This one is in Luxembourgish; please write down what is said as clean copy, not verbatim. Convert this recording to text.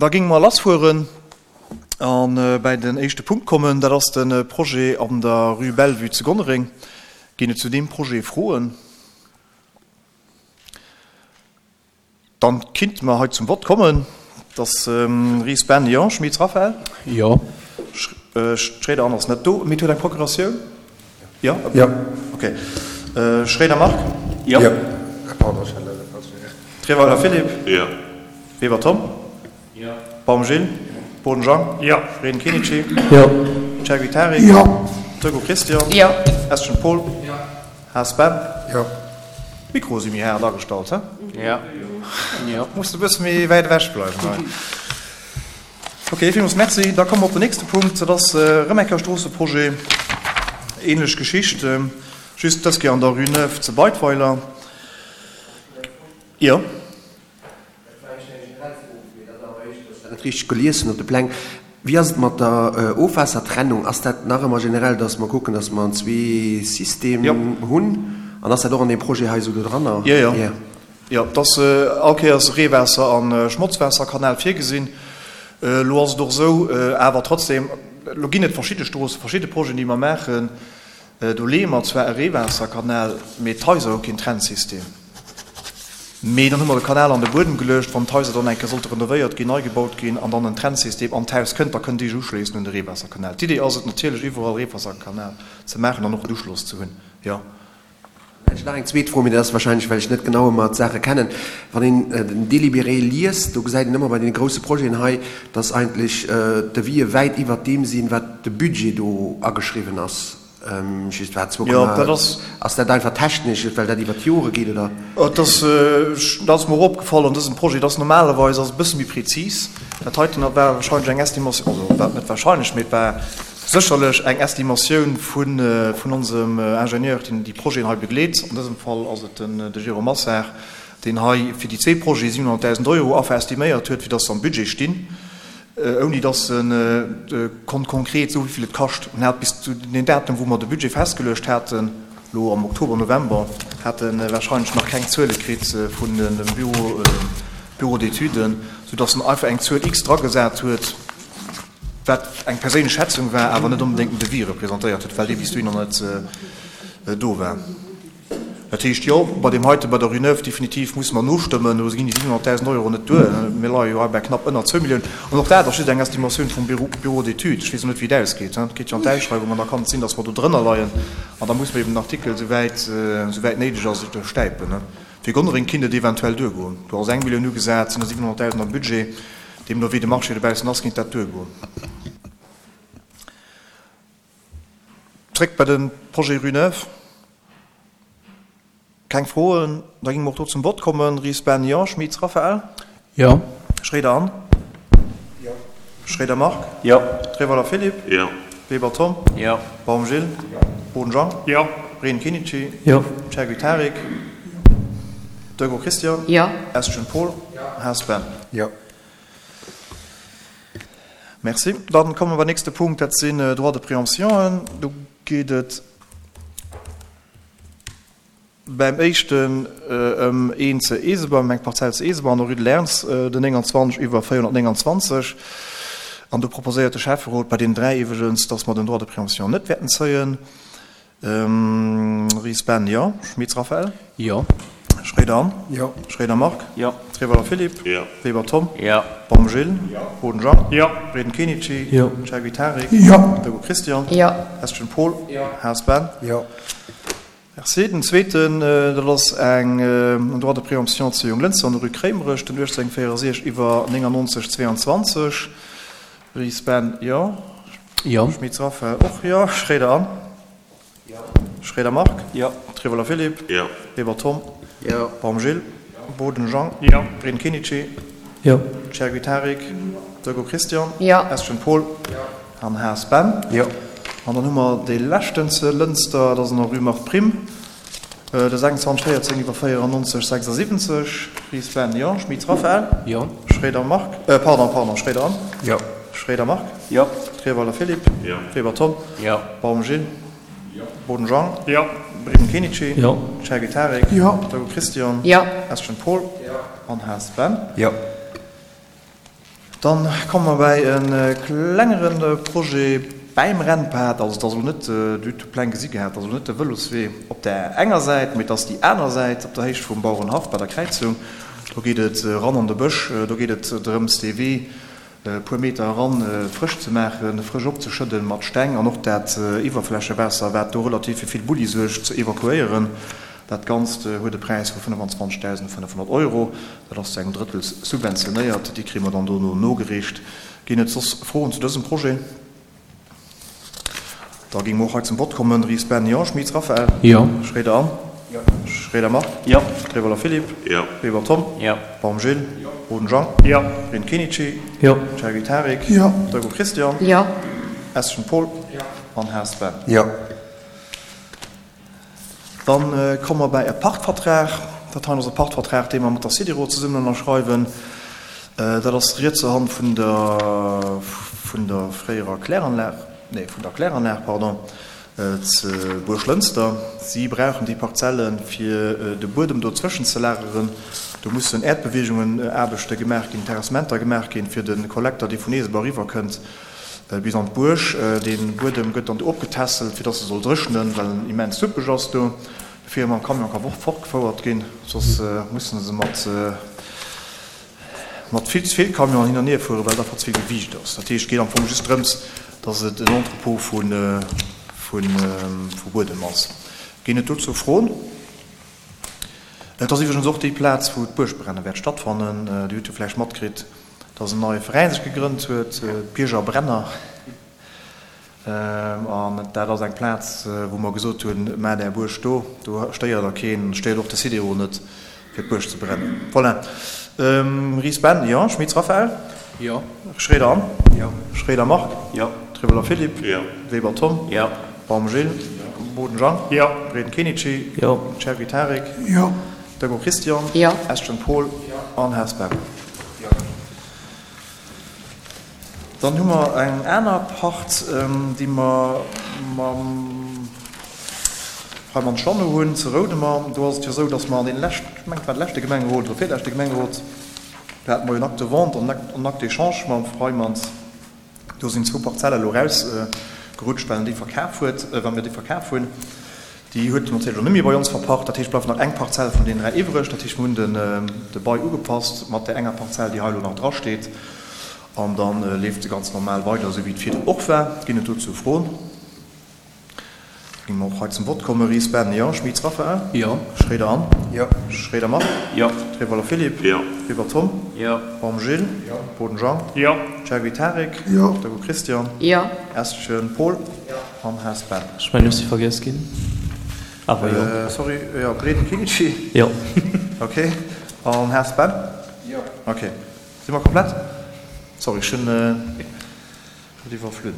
Da géinge mer lassfueren a bäi den éischte Punkt kommen. Dat ass de Projet an der Rue Bellevue zu Gonnereng. Ginn et zu deem Projet Froen? Dann kinnte mer hei zum Vott kommen. Et ass Ries Ben, jo. Schmitz Raphaël? Jo. Schréider Anne ass net do, mee huet eng Procuratioun? Jo? Jo. Ok. Schréider Marc? Jo. Pardon, ech hat leider falsch. Treweiler Philippe? Jo. Weber Tom? Jo. Baum Gilles? Boden Jean? Jo. Reden Kenichi? Jo. Chergui Tarik? Jo. Turgo Christian? Jo. Eschen Paul? Jo. Haas Ben? Jo. D'Mikroe si méi haart agestallt, he? Jo. Jo. Muss de bësse méi wäit ewech bleiwen hei. Ok, villmools Merci. Da komme mer op den nächste Punkt, dat ass erëm eng Kéier Stroosseprojet. Ähnlech Geschicht, just dës Kéier an der Rue Neuve zu Beidweiler. Jo. Dat war éischter eng generell Fro, mee dat ass awer éischter, dass ech dat net richteg gelies hunn op de Pläng. Wéi ass et mat der Ofwaassertrennung? Ass dat nach ëmmer generell, dass mer kucken, dass mer zwee System hunn? An ass dat och an deem Projet hei esou do dranner? Jo, jo. Jo, et ass all Kéiers Reewaasser a Schmotzwaasserkanal virgesinn. Elo ass et och esou, awer trotzdem, elo ginn et verschidde Stroossen, verschidde Projeten, déi mer maachen, do leeë mer zwar e Reewaasserkanal, mee d'Haiser hu keen Trennsystem. Mee dann hu mer de Kanal an de Buedem geluecht, wann d'Haiser dann eng Kéier sollte renovéiert ginn, nei gebaut ginn an dann en Trennsystem an d'Haus kënnt, da kënnt Dir Iech uschléissen un de Reewaasserkanal. D'Idee ass et natierlech, iwwerall Reewaasserkanal ze maachen an och en Uschloss ze hunn, jo. Dann hätt ech nach eng zweet Fro, mee dat ass wahrscheinlech, well ech net genau ëmmer d'Saache kennen. Wann een den Délibéré liest, do gesäit een ëmmer bei deene grousse Projeten hei, dass eigentlech d'Devisë wäit iwwert deem sinn, wat de Budget do ageschriwwen ass. Just war zwou Komma. Ass dat einfach technesch, well dat iwwert d'Jore geet, oder? Et ass, dat ass mer och opgefall an dësem Projet, dass normalerweis ass e bësse méi prezis. Dat heiten war wahrscheinlech eng Estimation, also wat net wahrscheinlech, mee et war Sécherlech eng Estimatioun vun onsem Ingenieur, deen déi Projeten hei begleet. An dësem Fall ass et de Jérôme Massard, deen hei fir déi zwee Projete 700.000 Euro affer estiméiert huet, fir datt se am Budget stinn, ouni datt e konnt konkret soen, wéi vill et kascht. En hat bis zu deem Datum, wou mer de Budget festgeluecht haten, elo am Oktober, November, hat e warscheinlech nach keng Zuele kritt vun dem Bureau d'études, soudatt en einfach eng Zuel X dragesat huet, wat eng perséinlech Schätzung war, awer net onbedéngt den Devis representéiert huet, well dee bis dohinner net do war. Dat heescht, jo, bei deem heiten, bei der Rue Neuve, definitiv musse mer nostëmmen. Do ginn déi 700.000 Euro net duer. Mir leie jo hei bei knapp ënner zwou Milliounen. An och dat ass just eng Estimatioun vum Bureau d'études. Ech weess och net, wéi et ausgeet. Et geet jo an d'Ausschreiwung an da kann et sinn, datt mer do drënner leien. An da musse mer eben den Artikel, esouwäit, esouwäit néideg ass, stäipen. Fir Gonnereng kinnt et eventuell duergoen. Do ass eng Millioun ugesat, sinn der 700.000 am Budget. Deemno wéi de Marché dobaussen ass, kinnt dat duergoen. Zréck bei de Projet Rue Neuve. Keng Froen? Da géinge mer och do zum Vott kommen. Ries Ben, Jo. Schmitz Raphaël? Jo. Schréider Anne? Jo. Schréider Marc? Jo. Treweiler Philippe? Jo. Weber Tom? Jo. Baum Gilles? Jo. Boden Jean? Jo. Reen Kinici? Jo. Chergui Tarik? Deugo Christian? Jo. Estgen Paul? Jo. Haas Ben? Jo. Merci. Dann komme mer beim nächste Punkt, dat sinn Droits de préemptionen. Do geet et beim éischten ëm een ze Eeseber, ëm eng Parzell ze Eeseber an der Rue de Lerns, den 29 iwwer 429. An do proposéiert de Schäfferot bei deenen dräi iwwregens, dass mer den Droit de préemption net wäerten zéien. Ries Ben, Jo. Schmitz Raphaël? Jo. Schréider Anne? Jo. Schréider Marc? Jo. Treweiler Philippe? Jo. Weber Tom? Jo. Baum Gilles? Jo. Boden Jean? Jo. Reden Kenichi? Jo. Chergui Tarik? Jo. Deugo Christian? Jo. Estgen Paul? Jo. Haas Ben? Jo. Merci. Den zweeten, dat ass eng en Droit de préemption zu Jonglënster an der Rue Kréimerech, den 1864 iwwer 99 22. Ries Ben, jo. Jo. Schmitz Raphaël, och jo. Schréider Anne? Jo. Schréider Marc? Jo. Trevoller Philippe? Jo. Weber Tom? Jo. Baum Gilles? Jo. Boden Jean? Jo. Breen Kenichi? Jo. Chergui Tarik? Deugo Christian? Jo. Estgen Paul? Jo. An Haas Ben? Jo. An dann hu mer dee leschten ze Lënster, dat ass an der Rue Marthe Prim, de 26 14 iwwer 94 76. Ries Ben, jo. Schmitz Raphaël? Jo. Schréider Marc, pardon, pardon, Schréider Anne? Jo. Schréider Marc? Jo. Treweiler Philippe? Jo. Weber Tom? Jo. Baum Gilles? Jo. Boden Jean? Jo. Breden Kenichi? Jo. Chergui Tarik? Jo. Deugo Christian? Jo. Estgen Paul? Jo. An Haas Ben? Jo. Dann komme mer bäi e klengere Projet bäim Rennpad. Also et ass elo net, Dir hutt d'Pläng gesi gehat, et ass elo net de Vëloswee op där enger Säit, mee et ass déi aner Säit op der Héicht vum Bauerenhaff bei der Kräizung. Do geet et eran an de Bësch, do geet et drëms dee Wee e puer Meter eran frësch ze maachen, frësch opzeschëdden mat Steng an och dat Iwwerflächewaasser, wat do relativ fir vill Bulli suergt, ze evakuéieren. Dat Ganzt huet e Präis vu 25.500 Euro. Dat ass zu engem Drëttel subventionéiert. Déi kréie mer dann dono nogereecht. Ginn et soss Froen zu dësem Projet? Da géinge mer och hei zum Vott kommen. Ries Ben, Jo. Schmitz Raphaël? Jo. Schroeder Anne? Jo. Schroeder Marc? Jo. Trewolwer Philippe? Jo. Weber Tom? Jo. Baum Gilles? Jo. Boden Jean? Jo. Reen Kenichi? Jo. Chergui Tarik? Jo. Deugo Christian? Jo. Eschen Paul? Jo. An Haas Ben? Jo. Dann komme mer bäi e Pachtvertrag. Dat hei ass e Pachtvertrag, dee mer mat der SIDERO zesummen ënnerschreiwen. Dat ass rietser Hand vun der, vun der fréierer Kläranlag, nee, vun der Kläranlag, pardon, zu Buerglënster. Si brauchen déi Parzelle fir de Buedem do zwëschen ze lageren. Do mussen Äerdbeweegungen-Aarbechte gemaach ginn, Terrassementer gemaach ginn, fir de Kollekter, dee vun Eeseber eriwwerkënnt, Bis an d'Buerg. Dee Buedem gëtt dann do opgetässelt, fir dass e soll dréchnen, well en immens suppeg ass do, bevir e mam Camion ka fortgefouert ginn. Soss musse se mat mat vill ze vill Camionen hin an hier fueren, well et einfach ze vill Gewiicht ass. Dat heescht, et geet am Fong just drëms, dass et en Entrepôt vu vu Buedem ass. Ginn et dozou Froen? Et ass iwwregens och déi Plaz, wou d'Buergbrennen wäert stattfannen. Dir hutt jo vläicht matkritt, dass en neie Veräin sech gegrënnt huet, d'Bierger Brenner. An dat ass eng Plaz, wou mer gesot hunn, Maacht Är Buerg do, do stéiert Der keen, stéiert och de Sidero net, fir d'Buerg ze brennen. Voilà. Ries Ben, Jo. Schmitz Raphaël? Jo. Schroeder Anne? Jo. Schroeder Marc? Jo. Trewelder Philippe? Jo. Weber Tom? Jo. Baum Gilles? Jo. Boden Jean? Jo. Reden Kenichi? Jo. Chergui Tarik? Jo. Dego Christian? Jo. Eschen Paul? Jo. An Haas Ben? Jo. Dann hu mer eng aner Part, déi mer mam Freimann Jeannot hunn, zu Roudemer. Do ass et jo esou, dass mer an deene leschten, ech mengen, et war de leschte Gemengerot oder virleschte Gemengerot, do hate mer jo en Acte de vente an en Acte d'échange mam Freimanns. Do sinn zwou Parzelle elo erausgerutscht, well en déi verkaf huet, well mir déi verkaf hunn. Déi huet en natierlech elo net méi bei ons verpacht. Dat heescht, et bleift nach eng Parzell vun deenen 3 iwwreg. Dat heescht, mir hunn den de Bail ugepasst mat där enger Parzell, déi hei elo nach drasteet. An da leeft se ganz normal weider, esou wéi et virdrun och war. Ginn et dozou Froen? Géinge mer och hei zum Vott kommen. Ries Ben, Jo. Schmitz Raphaël? Jo. Schroeder Anne? Jo. Schroeder Marc? Jo. Trewolwer Philippe? Jo. Weber Tom? Jo. Baum Gilles? Jo. Boden Jean? Jo. Chergui Tarik? Jo. Dego Christian? Jo. Eschen Paul? Jo. An Haas Ben. Ech mengen ech si vergiess ginn, awer jo. Sorry, jo, Breden Kinichi? Jo. Ok. An Haas Ben? Jo. Ok. Si mer komplett? Sorry, ech hunn et iwwerflunn.